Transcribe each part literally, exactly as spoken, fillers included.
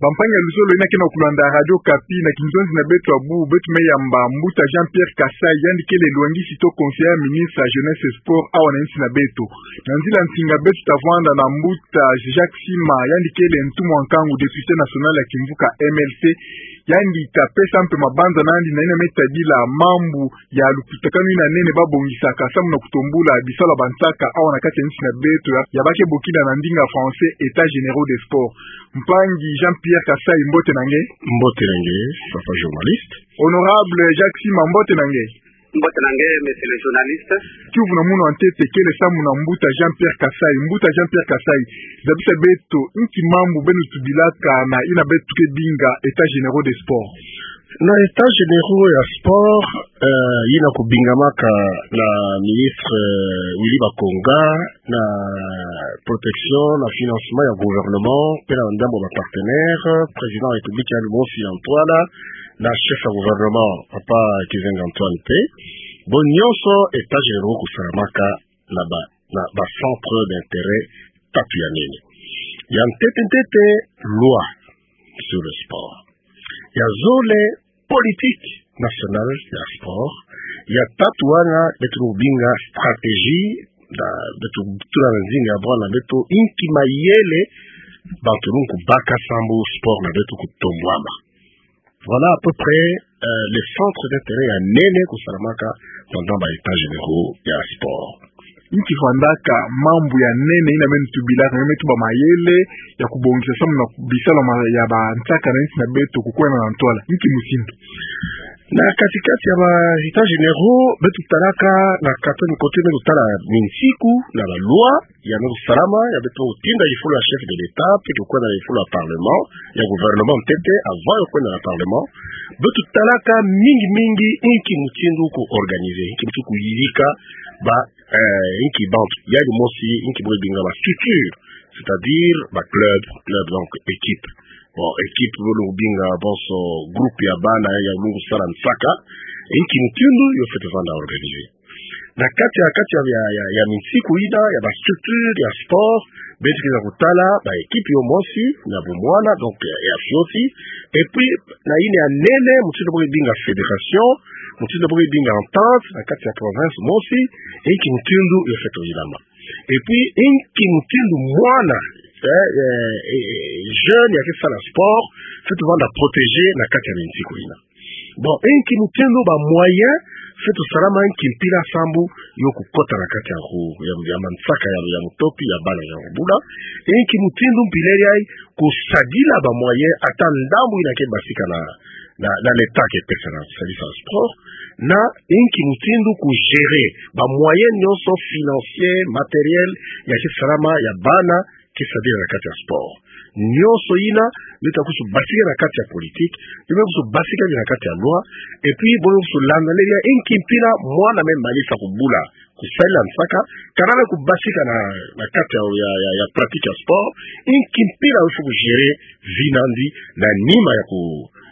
Bampangi ya luzolo yina ke na kulanda Radio Okapi, na kinzonzi na beto ya bubu, beto me yamba mbuta Jean-Pierre Kasai, yandi kele lwengisi to conseiller ya ministre ya jeunesse et sport awa na insi na beto. Na nzila nsinga beto ta vwanda na mbuta Jacques Sima, yandi kele ntumwa nkangu, député national ya kimvuka M L C, yandi ta pesa mpe mabanza na yandi na yina me tadila mambu ya lukutakanu yina nene ba bongisaka samu na kutombula bisalu ya bansaka awa na kati ya insi na beto, ya, ya ba ke bokila na ndinga français États généraux des sports. Mpangi Jean-Pierre Kasai, mbote na nge. Mbote na nge, papa journaliste. Honorable Jacques Sima, mbote na nge. Mbote na nge, monsieur le journaliste. Kiuvu na munu ya ntete kele samu na mbuta Jean-Pierre Kasai. Mbuta Jean-Pierre Kasai, zabisa beto, inki mambu beno tubilaka na yina beto ke binga États généraux des sports? Na États généraux ya sport, eh, yina kubingamaka na ministre, eh, Willy Bakonga, na protection, na financement ya gouvernement, mpe na ndambu ya ba partenaires, président ya République ya mosi Antoine, na chef ya gouvernement, papa Kizenga Antoine mpe. Bo nyonso États généraux kusalamaka na ba, na ba centres d'intérêt tatu ya nene. Ya ntete ntete, loi sur le sport. Ya zole, politique nationale ya sport. Ya tatu wana beto lubinga stratégie, na beto tula na nzinga ya bwana beto inki mayele bantu lukubaka samu sport na beto kutombwama. Voilà à peu près, euh, les centres d'intérêt ya nene kusalamaka pendant ba États généraux ya sport. Inki vandaka mambu ya nene yina meno tubilaka, meno tuba mayele ya kubongisa samu na bisalu ya ma-, ya bansaka na insi na beto kukwenda na ntwala? Inki mutindu? Na kati-kati ya ba États généraux, beto talaka na kati ya mikote meno tala minsiku na ba loi, ya meno salama, ya beto tinda yifulu ya chef de l'État, mpe kukwenda na yifulu ya parlement, ya gouvernement ntete, avant ya kwenda na parlement, beto talaka mingi mingi inki mutindu ku organiser, inki mutindu kuyidika ba, eh, inki bantu, yandi mosi, inki bo binga ba structure, c'est-à-dire ba club, club, donc équipe. Bon, équipe, bo lubinga bonso groupe ya bana ya lukusala nsaka, inki mutindu yo fwete vanda organiser. Na kati ya, kati ya, ya, ya, ya minsiku yina, ya ba structure ya sport, beto ke na kutala ba équipe yo mosi, na bumwana, donc, ya, ya fioti, et puis, na yina ya nene, mutindu bo binga fédération, mutindu bo binga entente, na kati ya province mosi, inki mutindu yo fwete yilama. Et puis, inki mutindu mwana, eh, eh, eh, eh, jeune ya ke sala sport, fwete vanda protéger na kati ya minsiku yina. Bon, inki mutindu ba moyen fwete salama, inki mpila sambu yo kukota na kati ya ku-, ya, ya mansaka ya, ya mutopi, ya bana ya kubula. Inki mutindu mpila yayi kusadila ba moyen ata ndambu yina ke basika na, na, na l'État ke pesa na kusadisa sport. Na inki mutindu ku gérer ba moyen nyonso financier, matériel, ya ke salama ya bana ke sadila na kati ya sport. Nyonso yina, mita kusu basika na kati ya politique, mita kusu basika na kati ya loi, et puis bo kusu landa leria inki mpila mwana me malisa kubula kusadila nsaka, kana me kubasika na, na kati ya, ya, ya, ya pratique ya sport, inki mpila yo fo ku gérer vie na yandi, na nima ya ku,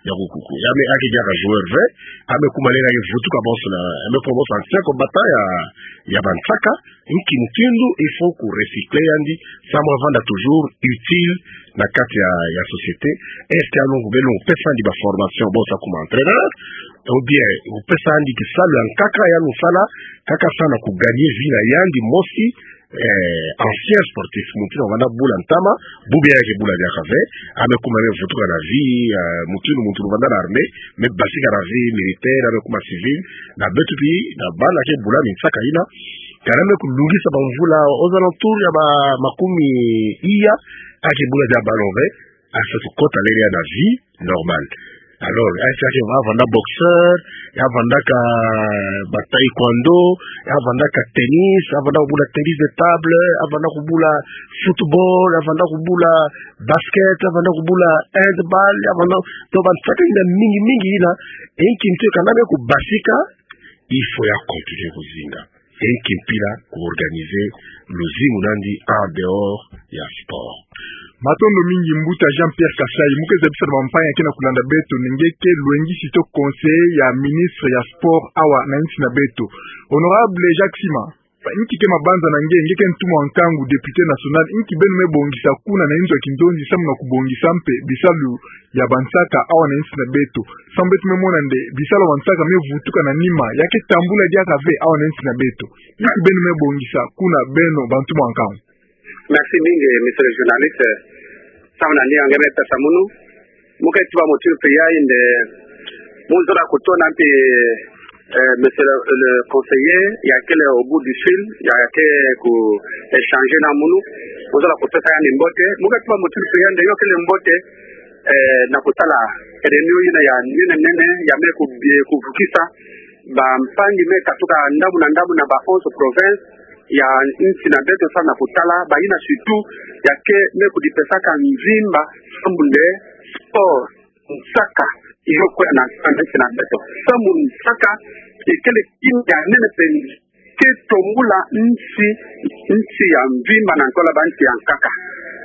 ya ku, ku, ku, ya me ake diaka joueur ve, ame kuma leria ke vutuka bonso na, ame kuma bonso ancien combattant ya, ya bansaka, inki mutindu il faut ku recycler yandi, samu avanda toujours utile na kati ya, ya société, est-ce que alongo beno pesa yandi ba formation, bonso akuma entraîneur, ou bien kupesa yandi kisalu ya nkaka ya lusala, kaka samu na ku gagner vie na yandi mosi, eh, ancien sportif, mutindu avanda bula ntama, bubu ya ke bula diaka ve, ame kuma me vutuka na vie, eh, mutindu muntu avanda na armée, me basika na vie militaire, ame kuma civil, na beto mpi, na bana ke bula minsaka yina, kana me kulungisa ba mvula, aux alentours ya ba makumi iya, ake bula dia ballon ve, asa tukota leria na vie normale. Alors, asa ke avanda boxeur, ya vandaka ba taekwondo, ya vandaka tennis, ya vanda kubula tennis de table, ya vanda kubula football, ya vanda kubula basket, ya vanda kubula handball, ya vanda, to ba nsaka yina mingi mingi yina, inki mutindu kana me kubasika, il faut ya continuer kuzinga. Inki mpila ku organiser luzingu na yandi en dehors ya sport. Matondo mingi mbuta Jean-Pierre Kasai, mu ke zabisa na bampangi ya ke na kulanda beto nde nge ke lwengisi to conseiller ya ministre ya sport awa na insi na beto. Honorable Jacques Sima. Inki ke mabanza na nge, nge ke ntumwa nkangu, député national, inki beno me bongisa kuna na inzo ya kinzonzi samu na kubongisa mpe bisalu ya bansaka awa na insi na beto. Samu beto me mona nde bisalu ya bansaka me vutuka na nima, ya ke tambula diaka ve awa na insi na beto. Inki beno me bongisa kuna beno bantumwa nkangu. Merci mingi, monsieur le journaliste. Samu na nge me pesa munu. Mu ke tuba motinu mpe ya nde, mu zola kutona mpe, eh, monsieur le, le conseiller, ya kele au bout du fil, ya ke ku échanger na munu. Mu zola kutona ya ni mbote. Mu ke tuba motinu mpe ya nde, yo kele mbote, eh, na kutala réunion yina ya nene nene, ya me ku, eh, kuvukisa bampangi me katuka ndambu na ndambu na ba onze provinces ya insi na beto samu na kutala, bayina surtout ya ke me kudipesaka mvimba, samu nde sport, nsaka, yo kwenda na insi na beto. Samu nsaka, ikele kima ya nene mpe ke tombula nsi, nsi ya mvimba na ntola bansi ya nkaka.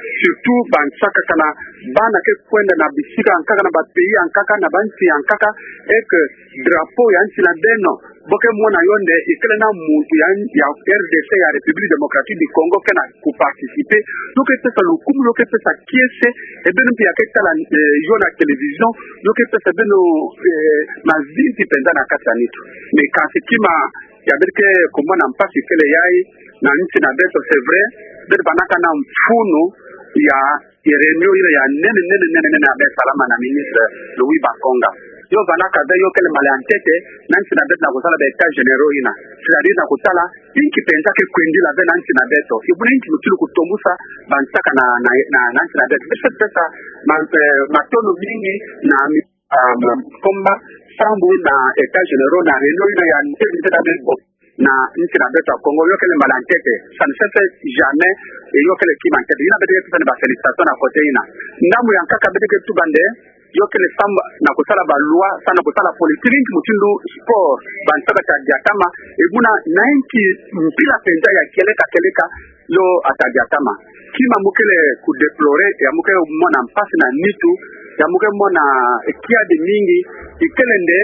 Surtout bansaka kana bana ke kwenda na bisika ya nkaka, na ba pays ya nkaka, na bansi ya nkaka, et que drapeau ya nsi na beno, bo ke mona yo nde, ikele na muntu ya, ya R D C, ya République Démocratique du Congo, ke na kuparticiper, yo ke pesa lukumu, yo ke pesa kiese, et beno mpe ya ke tala, eh, yo na télévision, yo ke pesa beno, eh, mazinzi mpenza na kati ya nitu. Mais kansi kima ya beto ke kumona mpasi kele yayi na insi na beto, c'est vrai, beto vandaka na mfunu ya, ya réunion yina ya nene, nene, nene, nene, ya me salama na ministre Louis Bakonga. Yo vandaka ve, yo kele mala ya ntete na insi na beto na kusala ba états généraux yina. C'est-à-dire na kutala inki mpenza ke kwendila ve na insi na beto. Ibuna inki mutulu kutombusa bansaka na, na, na, na insi na beto. Beto pesa ma, eh, matondo mingi na mi- ah, ma, komba, sambu na états généraux na réunion yina ya nte nte na beto na insi na beto ya Congo, yo kele mala ya ntete, ça ne se fait jamais, et yo kele kima ya ntete. Yina beto ke pesa ni ba félicitations na côté yina. Ndambu ya nkaka beto ke tuba nde, yo kele samu na kusala ba loi, samu na kusala politique, inki mutindu sport, bansaka ta diatama, ibuna na inki mpila mpenza ya kieleka kieleka, yo ata diatama. Kima mu kele ku déplorer, ya mu ke mona mpasi na nitu, ya mu ke mona, eh, kiadi mingi, ikele nde,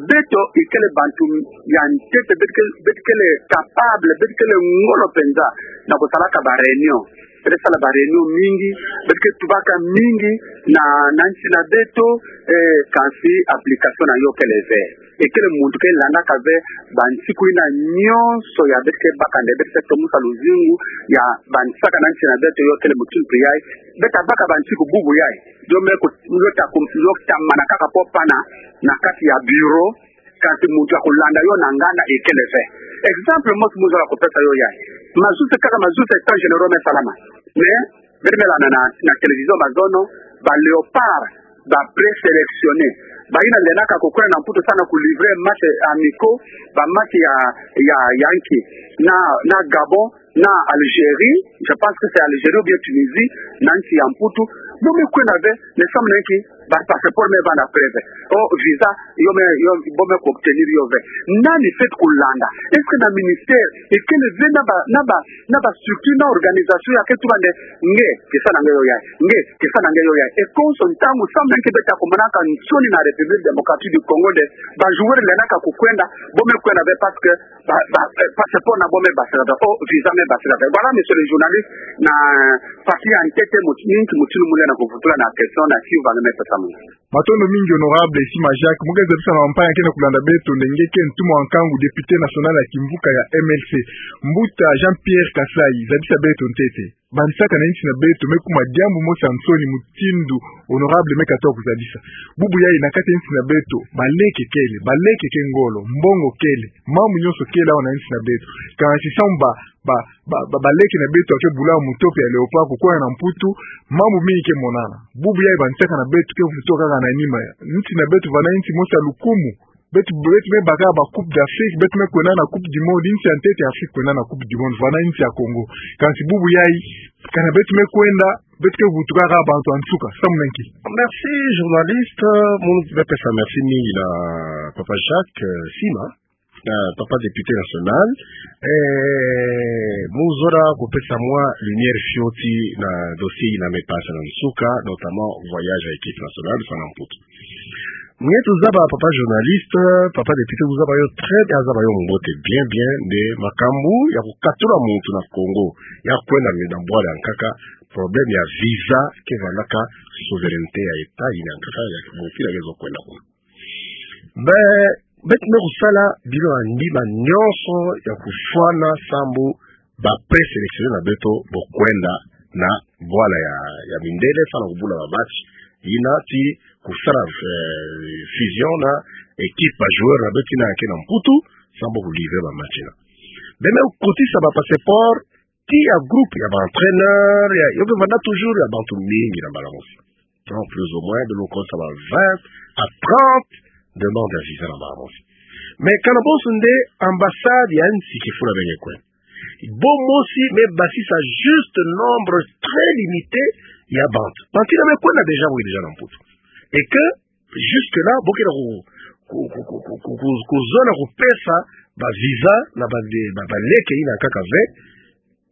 beto ikele bantu ya ntete, beto ke, beto kele capable, beto kele ngolo mpenza na kusalaka ba réunion. Beto sala ba réunion mingi, beto ke tubaka mingi na, na insi na beto, eh, kansi application na yo kele ve. Ikele muntu ke landaka ve bansiku yina nyonso ya beto ke baka nde beto ke tombusa luzingu ya bansaka na insi na beto, yo kele mutinu mpe yayi. Beto baka bansiku bubu yayi. Yo me ku, yo ta ku, yo ta mana kaka po pana na kati ya bureau, kansi muntu ya kulanda yo na nganda ikele ve. Exemple mosi mu zola kupesa yo yayi. Mazuzi kaka mazuzi états généraux me salama. Mais beto me landa na, na télévision mazono, ba Léopards, ba présélectionnés, bayina lendaka kukwenda na Mputu samu na ku livrer match amicaux, ba match ya, ya, ya nki, na, na Gabon, na Algérie, je pense que c'est Algérie ou bien Tunisie, na insi ya Mputu, bo me kwenda ve, ne samu na nki, ba passeport me vanda preuve. O visa, yo me, yo, bo me ku obtenir yo ve. Nani fweti kulanda? Est-ce que na ministère, ikele ve na ba, na ba, na ba structure, na organisation ya ke tuba nde, nge, kesa na nge yo yayi, nge, kesa na nge yo yayi. Et konso ntangu, samu na nki beto ta kumanaka nsoni na République Démocratique du Congo nde, ba joueurs lendaka kukwenda, bo me kwenda ve parce que ba, ba, eh, passeport na bo me basira ve, o visa me basira ve. Voilà, monsieur le journaliste, na partie ya ntete, mut-, mingi mutinu mu lenda kuvutula na question na si uva nge me pesa munu. Matondo mingi, honorable Sima Jacques. Mu ke zabisa na bampaya ke na kulanda beto nde nge ke ntumwa nkangu, député national ya kimvuka ya M L C. Mbuta Jean-Pierre Kasai, zabisa beto ntete. Bansaka na insi na beto me kuma diambu mosi ya nsoni mutindu honorable me katuka kuzabisa. Bubu yayi na kati ya insi na beto, baleke kele, baleke ke ngolo, mbongo kele, mambu nyonso kele awa na insi na beto. Kansi samu ba, ba, ba, ba, baleke na beto ya ke bula mutope ya Léopard kukwenda na Mputu, mambu mingi ke monana. Bubu yayi bansaka na beto ke vutuka kaka na nima ya. Insi na beto vanda insi mosi ya lukumu. Beto, beto me baka ba Coupe d'Afrique, beto me kwenda na Coupe du Monde, insi ya ntete ya Afrique kwenda na Coupe du Monde, vanda insi ya Congo. Kansi bubu yayi, kana beto me kwenda, beto ke vutuka kaka bantu ya nsuka, samu na nki? Merci, journaliste. Mu me pesa merci mingi na Papa Jacques, euh, Sima, na Papa député national. Eh, mu zola kupesa mwa lumière fioti na dossier yina me pasa na nsuka, notamment voyage ya équipe nationale, samu na Mputu. Nge tuzaba papa journaliste, papa député, tuzaba yo très bien, azaba yo mbote bien bien, nde makambu ya kukatula muntu na Congo ya kwenda na bwala ya nkaka, problème ya visa ke vandaka souveraineté ya État yina ya nkaka ya kimosi na kezo kwenda kuna. Be, beto me kusala bino na ndima nyonso ya kufwana sambu ba présélectionnés na beto bo kwenda na bwala ya, ya mindele, samu na kubula ba match, yina ti kusala, eh, fusion na équipe ba joueurs na beto yina ke na Mputu, sambu kulivrer ba match yina. Be me kukotisa ba passeport ti ya groupe ya ba entraîneurs, ya, yo ke vanda toujours ya bantu mingi na mbala mosi. Donc, plus ou moins, beto me kukotisa ba vingt à trente demandes ya visa na mbala mosi. Mais kana bonso nde ambassade ya nsi kifula beno ke kwenda. Bo mosi me basisa juste nombre très limité ya bantu. Bantu yina me kwenda déjà, bo ke déjà na Mputu. Et que, jusque-là, bo ke na ku, ku, kuzona kupesa ba visa na ba, ba, ba leke yina nkaka ve.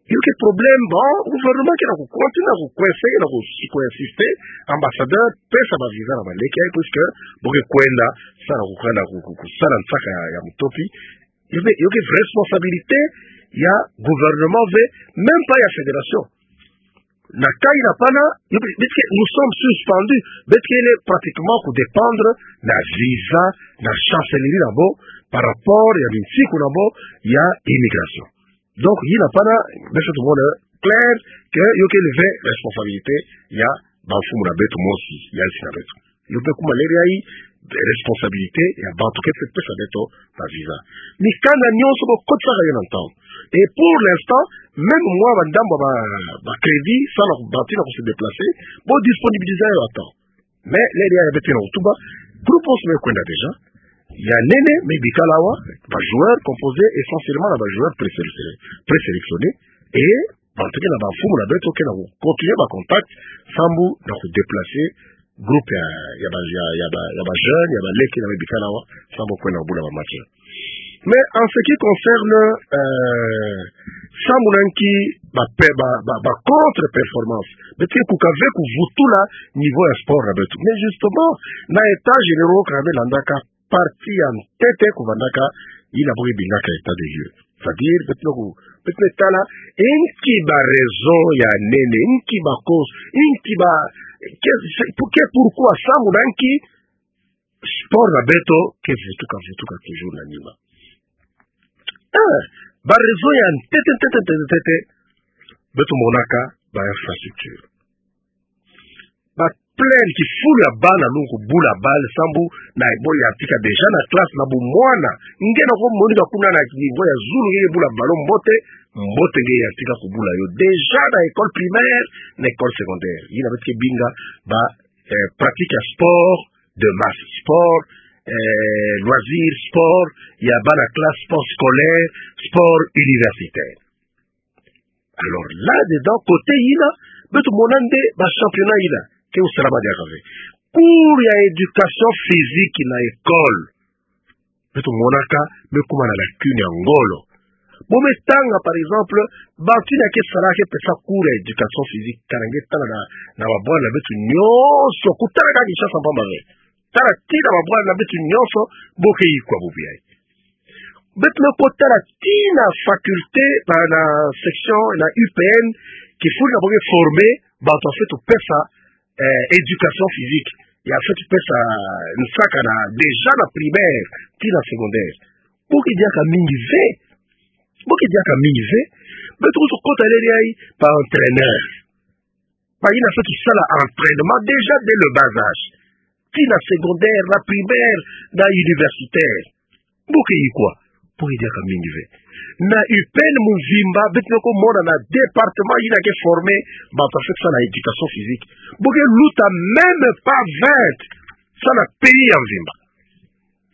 Yo ke problème, bon, gouvernement ke na ku continuer na ku coincer, na ku, ku insister, ambassadeur, pesa ba visa na ba leke yayi, puisque bo ke kwenda, samu na kukana, ku, ku, kusala nsaka ya, ya mutopi. Yo ke, yo ke responsabilité ya gouvernement ve, même pas ya fédération. Na cas yina pana, yo ke, puisque nous sommes suspendus, puisque il est pratiquement ku dépendre na visa, na chancellerie na bo, par rapport ya binsiku na bo ya immigration. Donc, yina pana, beto tumona clair que yo ke lever responsabilité ya bamfumu na beto mosi, ya nsi na beto. Yo pe kuma leri yayi, responsabilité ya bantu ke pe pesa beto ba visa. Mikanda nyonso bo kotisaka yo na ntangu. Et pour l'instant, même mwa ba ndambu ba, ba crédit, samu na ku, bantu yina ku se déplacer, bo disponibiliser yo à temps. Mais, leri yayi beto ke na kutuba, groupe mosi me kwenda déjà. Ya nene me bikala awa, ba joueurs composés essentiellement na ba joueurs présélectionnés, présélectionnés. Et, bantu ke na bamfumu na beto ke na ku continuer ba contact, sambu na ku déplacer groupe ya, ya ba, ya, ya ba, ya ba jeunes, ya ba leke yina me bikala awa, sambu kwenda kubula ba match. Mais en ce qui concerne, euh, samu na nki ba pe, ba, ba, ba contre-performance, beto ke kuka ve kuvutula niveau ya sport na beto. Mais justement, na états généraux ka me landaka, partie ya ntete kuvandaka, yina bo ke bingaka état des lieux. C'est-à-dire, beto me ku, beto me tala, nki ba raison ya nene, nki ba cause, nki ba, que, c'est, pour, que, pourquoi, samu na nki, sport na beto ke vutuka, vutuka toujours na nima. Eh, ba raison ya ntete, ntete, ntete, ntete, beto monaka ba infrastructure. Ba plaine kifulu ya bana lungu kubula balle, sambu na bo yantika déjà na classe na bumwana. Nge na ko monika kuna na niveau ya zulu nge bula ballon mbote, mbote nge yantika kubula yo déjà na école primaire, na école secondaire. Yina beto ke binga ba eh, pratique ya sport de masse, sport, eh, loisir, sport ya bana classe, sport scolaire, sport universitaire. Alors, là-dedans, côté yina, beto mona nde ba championnat yina ke usalama diaka ve. Cours ya éducation physique na école, beto monaka me kuma na lacune ya ngolo. Bo me tanga, par exemple, bantu yina ke sala, ke pesa cours ya éducation physique, kana nge tala na, na ba bwala na beto nyonso, kutala kaka Kinshasa mpamba ve. Tala tii na ba bwala na beto nyonso, bo ke yikwa bubu yayi. Beto me kotala tii na faculté, na, na section, na U P N, kifulu na bo ke former bantu ya fweti pesa eh, éducation physique, ya fweti pesa nsaka na, déjà na primaire, tii na secondaire. Bo ke diaka mingi ve. Bo ke diaka mingi ve. Beto kusu kota leri yayi ba entraîneur. Ba yina fweti sala entraînement déjà dès le bas âge. Tii na secondaire, na primaire, na universitaire. Bo ke yikwa, bo ke diaka mingi ve. Na U P N mvimba, beto me ko mona na département yina ke former bantu ya fweti sala éducation physique, bo ke luta même pas vingt, samu na pays ya mvimba.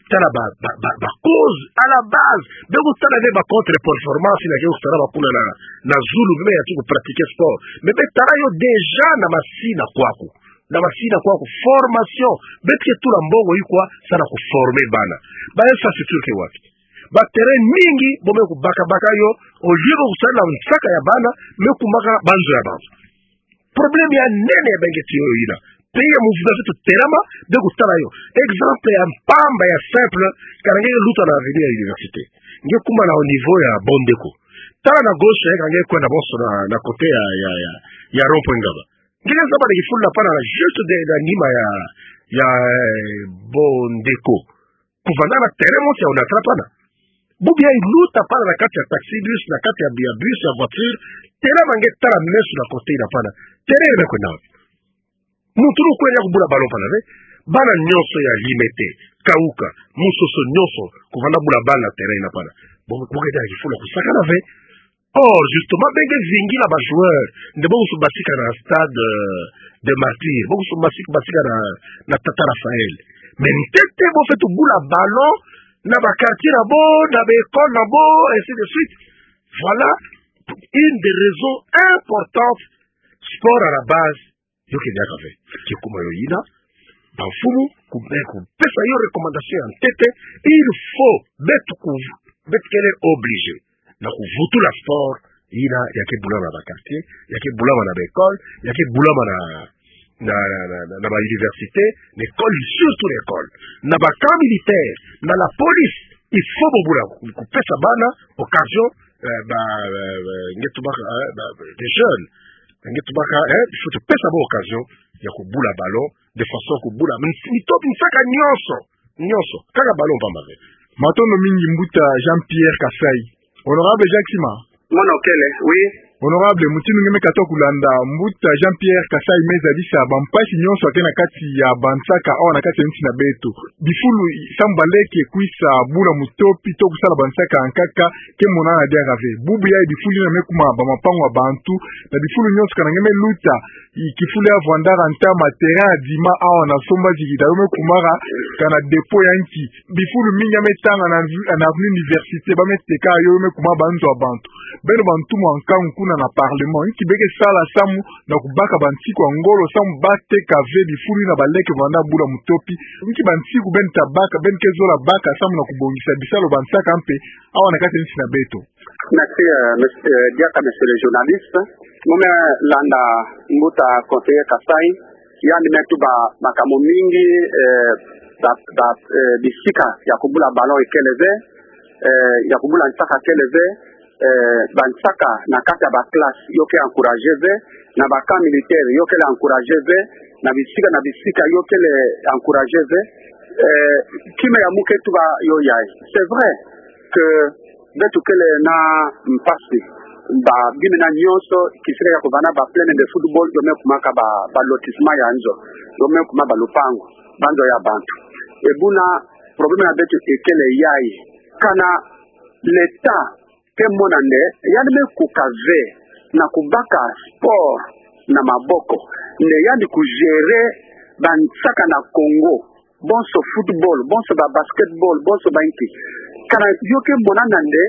Tala ba, ba, ba, ba cause à la base, be kutala ve ba contre-performance yina ke kusalama kuna na, na zulu, be me yantika ku pratiquer sport. Mais be tala yo déjà na masina kwaku. Na masina kwaku formation, beto ke tula mbongo yikwa samu na ku former bana. Ba infrastructure ke wapi? Ba terrain mingi bo me kubaka baka yo, au lieu bo kusala nsaka ya bana, me kumaka banzo ya bantu. Problème ya nene ya ba nge ti yo yina. pays ya muvutu ya feto telama, bie kutala yo. Exemple ya mpamba ya simple, kana nge luta na avenue ya université. Nge kuma na au niveau ya Bondeko. Tala na gauche, eh, kana nge kwenda bonso na, na côté ya, ya, ya, ya rond-point Ngaba. Nge zaba na kifulu na pana na juste de, na nima ya, ya, eh, Bondeko. Kuvanda na terrain mosi ya Onatra pana. Bubu yayi luta pana na kati ya taxi-bus, na kati ya, ya bus, ya voiture. Telama nge tala meso na côté na pana. Terrain me kwenda wapi? Muntu lukwe ya kubula ballon pana ve. Bana nyonso ya Limete, Kauka, Musoso nyonso, kuvanda bula ballon na terrain na pana. Bo, bo nge tala kifulu kusakana ve. Or, justement, bie nge vingila ba joueurs, nde bo kusu basika na stade, euh, de Martyrs, bo kusu basika, basika na, na Tata Raphaël. Mais ntete bo feto bula ballon na ba quartier na bo, na ba école na bo, ainsi de suite. Voilà une des raisons importantes. Sport à la base, yo ke diaka ve. Ke kuma yo yina, ba mfumu, ku, eh, kupesa yo recommandation ya ntete, il faut, beto ku, beto kele obligé na kuvutula sport yina ya ke bulama na ba quartier, ya ke bulama na ba école, ya ke bulama na, na, na, na, na, na ba université, l'école, surtout l'école. Na ba camp militaire, na la police, il faut bo bula ku, kupesa bana occasion, euh, ba, euh, euh, nge tubaka, euh, ba, des jeunes, nge tubaka, eh, il faut tupesa bo occasion ya kubula ballon, de façon kubula. Mitoto nsaka nyonso, nyonso. Kaka ballon mpamba ve. Matondo mingi mbuta Jean-Pierre Kasai. Honorable Jacques Sima. Mono kele, oui. Honorable, mutindu nge me katuka kulanda, mbuta Jean-Pierre Kasai me zadisa bampasi nyonso ya ke na kati ya bansaka awa na kati ya nsi na beto. Bifulu samu baleke kwisa bula mutopi to kusala bansaka ya nkaka, ke monana diaka ve. Bubu yayi bifulu yina me kuma ba mapangu ya bantu, na bifulu nyonso kana nge me luta, i kifulu ya vwandaka ntama terrain ya Dima awa na Somba Zigida, yo me kumaka kana dépôt ya nki. Bifulu mingi ya me tanga na, na avenue Université, ba me teka yo, yo me kuma ba nzo ya bantu. Beno bantu mwa nkangu kuna na parlement, nki beke sala samu na kubaka bansiku ya ngolo samu bateka ve bifulu yina baleke vanda bula mutopi. Nki bansiku beno ta baka, beno ke zola baka samu na kubongisa bisalu ya bansaka mpe awa na kati ya nsi na beto. Merci, euh, monsieur, euh, diaka, monsieur le journaliste. Mu me landa mbuta conseiller Kasai, yandi me tuba makambu mingi, euh, ba, ba, euh, bisika ya kubula ballon ekele ve, euh, ya kubula nsaka ekele ve, euh, bansaka na kati ya ba classe yo ke encourager ve, na ba camp militaire yo kele encourager ve, na bisika na bisika yo kele encourager ve, euh, kima ya mu ke tuba yo yayi. C'est vrai que beto kele na mpasi. Ba bima nyonso, kisika ya kuvanda ba plaine de football, yo me kumaka ba, ba lotissement ya nzo. Yo me kuma ba lupangu, ba nzo ya bantu. E buna, problème na beto ekele yayi. Kana l'État ke mona nde yandi me kuka ve na kubaka sport na maboko, nde yandi ku gérer bansaka na Congo, bonso football, bonso ba basketball, bonso ba nki. Kana yo ke mona nde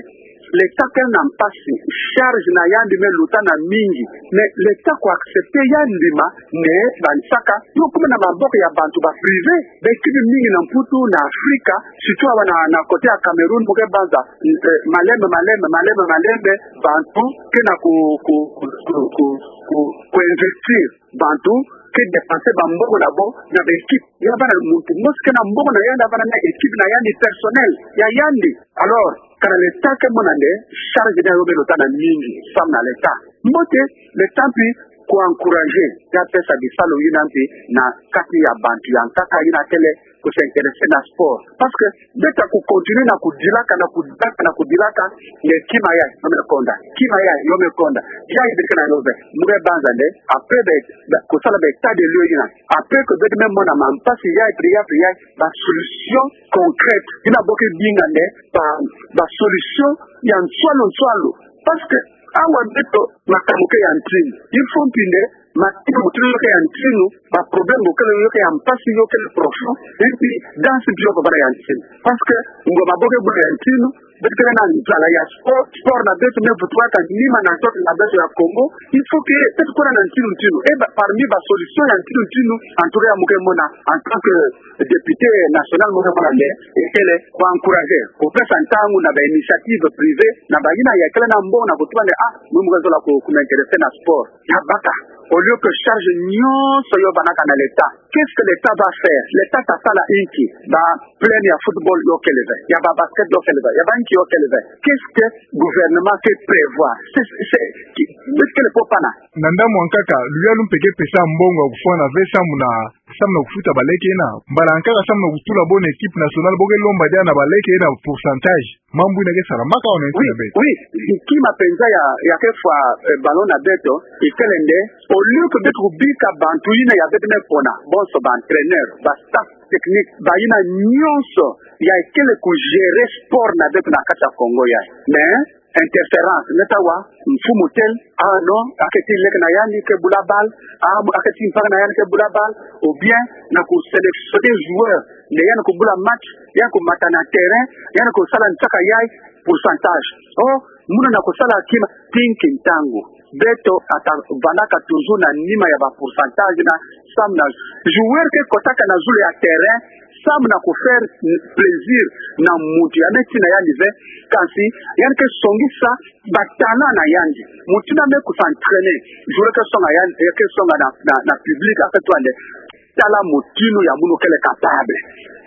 l'État kele na mpasi, charge na yandi me luta na mingi, mais l'État ku accepter yandi ma nde bansaka yo kuma na maboko ya bantu ba privé. Ba équipe mingi na Mputu, na Afrika, surtout awa na, na côté ya Cameroun, mu ke banza, euh, malembe, malembe, malembe, malembe, bantu ke na ku, ku, ku investir, bantu ke dépenser ba mbongo na bo na ba équipe. Ya vanda muntu mosi ke na mbongo na yandi, ya vanda na équipe na yandi personnel ya yandi. Alors, kana l'État ke mona nde charge na yo me luta na mingi, samu na l'État. Mbote, l'État mpi ku encourager, ya pesa bisalu yina mpi na kati ya bantu ya nkaka yina kele ku s'intéresser na sport. Parce que beto ta ku continuer na kudilaka, na kudilaka, na kudilaka, nge kima yayi yo me konda, kima yayi yo me konda. Yayi beto ke na yo ve, mu ke banza nde, après be, be, kusala ba état des lieux yina. Après que beto me mona mampasi yayi, pri ya, pri ya, ba solution concrète yina bo ke binga nde, ba, ba solution ya nswalu nswalu. Parce que awa beto makambu ke ya ntinu. Il faut mpi nde makambu ke ya ntinu, ba problème bo kele yo ke ya mpasi, yo kele profond, et puis danse mpi yo ke vanda ya ntinu. Parce que ngbonga bo ke bula ya ntinu, beto ke na nzala ya sport, sport na beto me vutuka nima na ntoto na beto ya Congo. Il faut que beto kwenda na ntinu ntinu. Et ba, parmi ba solution ya ntinu ntinu, en tout cas, mu ke mona, en tant que député national, mu ke mona nde, ekele ku encourager, ku pesa ntangu na ba initiative privée, na bayina ya kele na mbongo na kutuba nde, ah, mu mu ke zola ku, ku m'intéresser na sport. Ya baka. Au lieu que charge nyonso yo vanaka na l'État, qu'est-ce que l'État va faire? L'État ta sala inki? Ba plaine ya football yo kele ve, ya ba basket yo kele ve, ya ba inki yo kele ve. Qu'est-ce que gouvernement ke prévoir? C'est, c'est, c'est, ki-, est-ce que le popana? Na ndambu ya nkaka, luyalu mpe ke pesa mbongo ya kufwana ve samu na, samu na kufuta baleke ena. Mbala ya nkaka samu na kutula bo na équipe nationale, bo ke lomba diaka na baleke ena pourcentage. Mambu ina ke salamaka awa na nsi Oui, na beto. Oui, kima penza ya, ya ke fwa, eh, ballon na beto, ikele nde, au lieu que beto kubika bantu ina ya beto me pona, bonso ba entraîneur, ba staff technique, ba ina nyonso, ya ikele ku gérer sport na beto na kati ya Congo ya. Mais, interférence, nge ta wa, mfumu tel, ah non, ake ti leke na yandi ke bula balle, ah, ake ti mpaka na yandi ke bula balle, ou bien, na ku sélectionner joueur, nde yandi kubula match, yandi kumata na terrain, yandi kusala nsaka yayi, pourcentage. Oh, muna na kusala kima, tinki ntangu. Beto ata vandaka toujours na nima ya ba pourcentage na samu na joueur ke kotaka na zulu ya terrain, samu na ku faire plaisir na muntu ya me tina yandi ve, kansi yandi ke songisa ba talent na yandi. Muntu na me ku s'entraîner, joueur ke songa yandi, ke songa na, na, na public, ake twa nde, tala mutinu ya munu kele capable.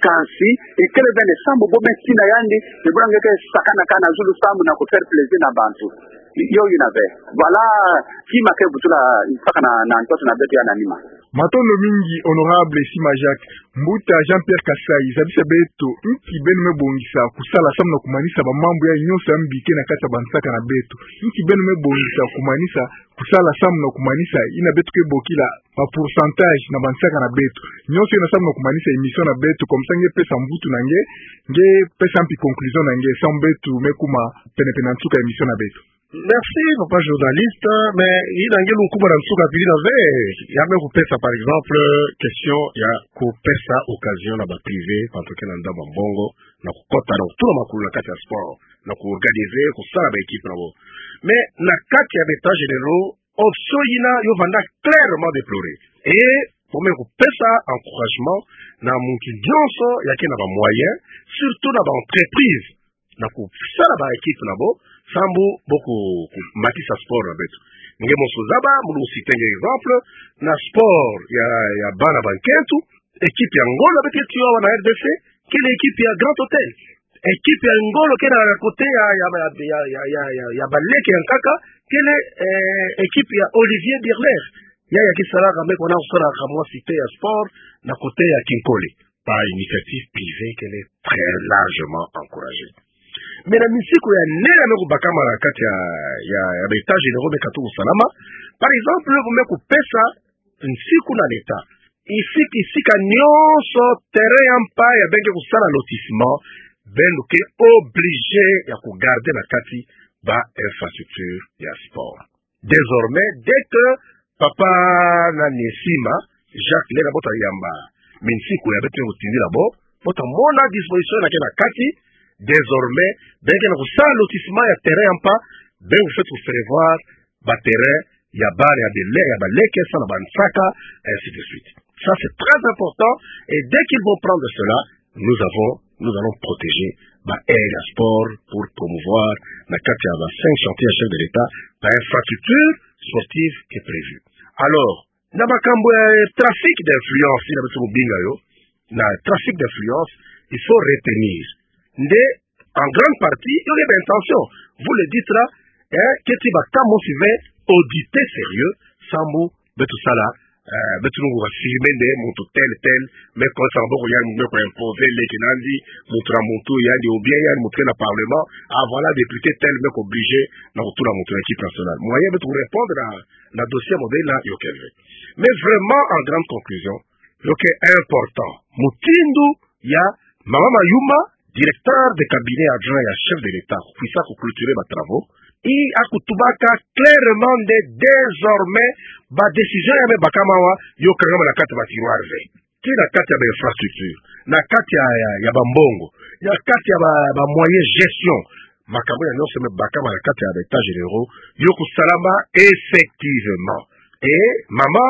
Kansi, ikele ve nde samu bo me tina yandi, ni buna nge ke sakanaka na zulu samu na ku faire plaisir na bantu. Yo ina ve. Voilà, kima ke butula mpaka na, na ntoto na beto ya na nima. Matondo mingi, honorable Sima Jacques. Mbuta Jean-Pierre Kasai, zabisa beto, nki beno me bongisa kusala samu na kumanisa ba mambu ya nyonso ya mbike na kati ya ba nsaka na beto. Nki beno me bongisa kumanisa kusala samu na kumanisa ina beto ke bokila ba pourcentage na ba nsaka na beto. Nyonso ina samu na kumanisa émission na beto, comme ça nge pesa mvutu na nge, nge pesa mpi conclusion na nge, samu beto me kuma pene-pene na nsuka ya émission na beto. Merci, papa journaliste, mais ina nge lunkuba na nsuka pili na ve, ya me kupesa, par exemple, question ya kupesa occasion na ba privé, bantu ke na ndambu ya mbongo, na kukota, na kutula makulu na kati ya sport, na ku organiser, kusala ba équipe na bo. Mais na kati ya ba états généraux, option ina yo vanda clairement déplorer. Et bo me kupesa encouragement na muntu nyonso ya ke na ba moyens, surtout na ba entreprises, na kusala ba équipe na bo, samu bo ku, kumatisa sport na beto. Nge mosi ozaba, mu citer nge exemple, na sport ya, ya bana ba nkento, équipe ya ngolo beto ke tia awa na R D C, kele équipe ya Grand Hôtel. Équipe ya ngolo ke na côté ya, ya, ya, ya baleke ya nkaka, kele, eh, équipe ya Olivier Birler. Ya, ya ke salaka, me kona kusalaka mwa cité ya sport, na côté ya Kinkole. Ba initiative privée kele très largement encouragée. Mais na minsiku ya nene me kubakama na kati ya, ya, ya ba états généraux me katuka kusalama. Par exemple, bo me kupesa nsiku na l'État. Isika, isika nyonso terrain ya mpa ya beno ke kusala lotissement, beno ke obligé ya kugarder na kati ba infrastructure ya sport. Désormais, dès que papa nani Sima Jacques lenda bo ta yamba minsiku ya beto kutindila bo, bo ta mona disposition ina ke na kati. Désormais, beno ke na kusala lotissement ya terrain ya mpa, beno fweti kuprévoir ba terrain ya bana ya bele, ya baleke, sala ba nsaka, ainsi de suite. Ça, c'est très important. Et dès qu'ils vont prendre cela, nous avons, nous allons protéger ba aire ya sport pour promouvoir na kati ya ba cinq chantiers ya chef de l'État, ba infrastructure sportive qui est prévue. Alors, na makambu ya trafic d'influence, ina beto kubinga yo, na trafic d'influence, il faut retenir nde, en grande partie, yo ke ba intention. Vous le dites là, eh, ke ti ba kamo si ve auditer sérieux, samu beto sala, eh, beto lungu ba filmer nde muntu tel, tel, me kosa maboko yandi, me ko imposer leke na yandi, muntu na muntu yandi, ou bien yandi muntu ke na parlement, ah voilà, député tel, me ko obligé na kutula muntu na équipe nationale. Moyen beto kurépondre na, na dossier modèle là, yo ke ve. Mais vraiment, en grande conclusion, yo ke important. Mutindu ya Mama Mayuma, directeur de cabinet adjoint ya chef de l'État, kuisa kuclôturer ba travaux, i akutubaka clairement nde désormais ba décision ya me bakama awa, yo kangama na kati ya ba tiroir ve. Ti na kati ya ba infrastructure, na kati ya, ya, ya ba mbongo, na kati ya ba, ba moyens gestion, makambu ya nyonso me bakama na kati ya ba états généraux, yo kusalama effectivement. Et Mama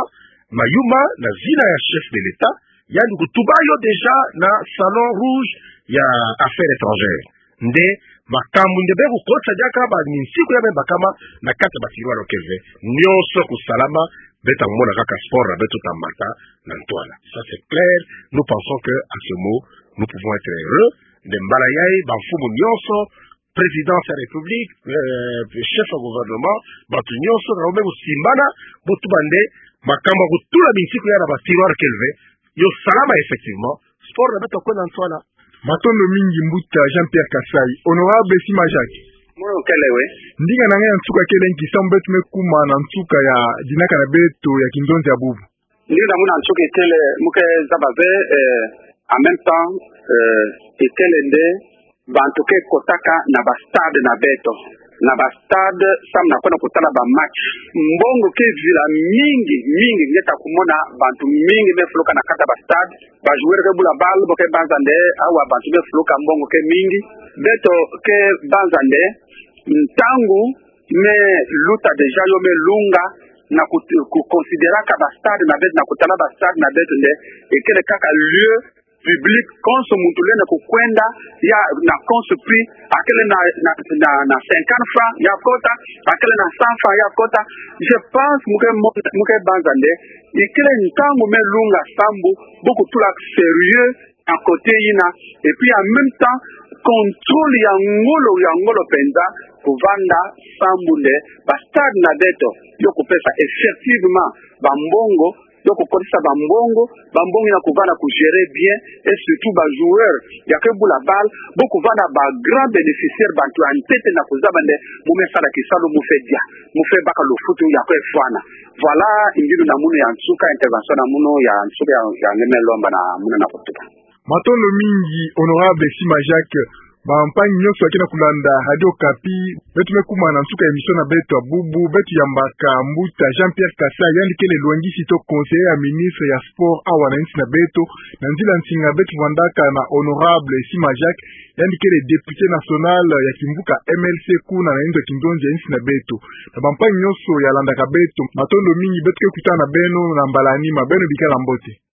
Mayuma, na zina ya chef de l'État, yandi kutuba yo déjà na Salon Rouge ya Affaires étrangères. Nde makambu nde beno kukotisa diaka ba minsiku ya me bakama na kati ya ba tiroir, yo ke ve nyonso kusalama Beto mona kaka sport na beto ta mata na ntwala. Ça c'est clair. Nous pensons que à ce mot, nous pouvons être heureux. Nde mbala yayi, bamfumu nyonso, présidence ya République, euh, chef ya gouvernement, bato nyonso na yo me kusimbana, bu tuba nde makambu ya kutula binsiku ya na ba tiroir keleve, yo salama effectivement, sport na beto kwenda na ntwala. Matondo mingi mbuta Jean-Pierre Kasai. Honorable Sima Jacques. Mono kele we. Ndinga na nge ya nsuka kele nki samu beto me kuma na nsuka ya dinaka na beto ya kinzonzi ya bubu? Ndinga na munu ya nsuka ikele mu ke zaba ve, eh, en même temps, eh, ikele nde bantu ke kotaka na ba stade na beto. Na ba stade samu na kwenda kutala ba match. Mbongo ke vila mingi, mingi, nge ta kumona bantu mingi me fuluka na kati ya ba stade. Ba joueur ke bula balle, bo ke banza nde, awa bantu me fuluka, mbongo ke mingi. Beto ke banza nde, ntangu me luta déjà, yo me lunga, na ku, ku considéraka ba stade na beto, na kutala ba stade na beto nde, ikele kaka lieu public, konso muntu lenda kukwenda, ya na konso prix, akele na, na, na, na cinquante francs, ya kota, akele na cent francs, ya kota. Je pense, mu ke mo-, mu ke banza nde, ikele ntangu me lunga sambu, bu kutula sérieux na côté yina, et puis en même temps, contrôle ya ngolo, ya ngolo penza, kuvanda sambu nde, ba stade na beto, yo kupesa effectivement ba mbongo, yo kukotisa ba mbongo, ba mbongo yina kuvanda ku gérer bien, et surtout ba joueur ya ke bula balle, bo kuvanda ba grand bénéficiaire, bantu ya ntete na kuzaba nde, mu me sala kisalu, mu fwe dia, mu fwe baka lufutu ya ke fwana. Voilà, ngindu na munu ya nsuka, intervention na munu ya nsuka ya, ya nge me lomba na munu na kutuba. Matondo mingi, Honorable Sima Jacques. Bampangi nyonso ya ke na kulanda Radio Okapi, beto me kuma na nsuka ya émission na beto ya bubu, beto yambaka mbuta Jean-Pierre Kasai, yandi kele lwangisi to conseiller ya ministre ya sport awa na insi na beto, na nzila nsinga beto vandaka na Honorable Sima Jacques, yandi kele député national ya kimvuka M L C kuna na inzo ya kinzonzi ya insi na beto. Na bampangi nyonso ya landaka beto, matondo mingi, beto ke kutana na beno na mbala ya nima, beno bikala mbote.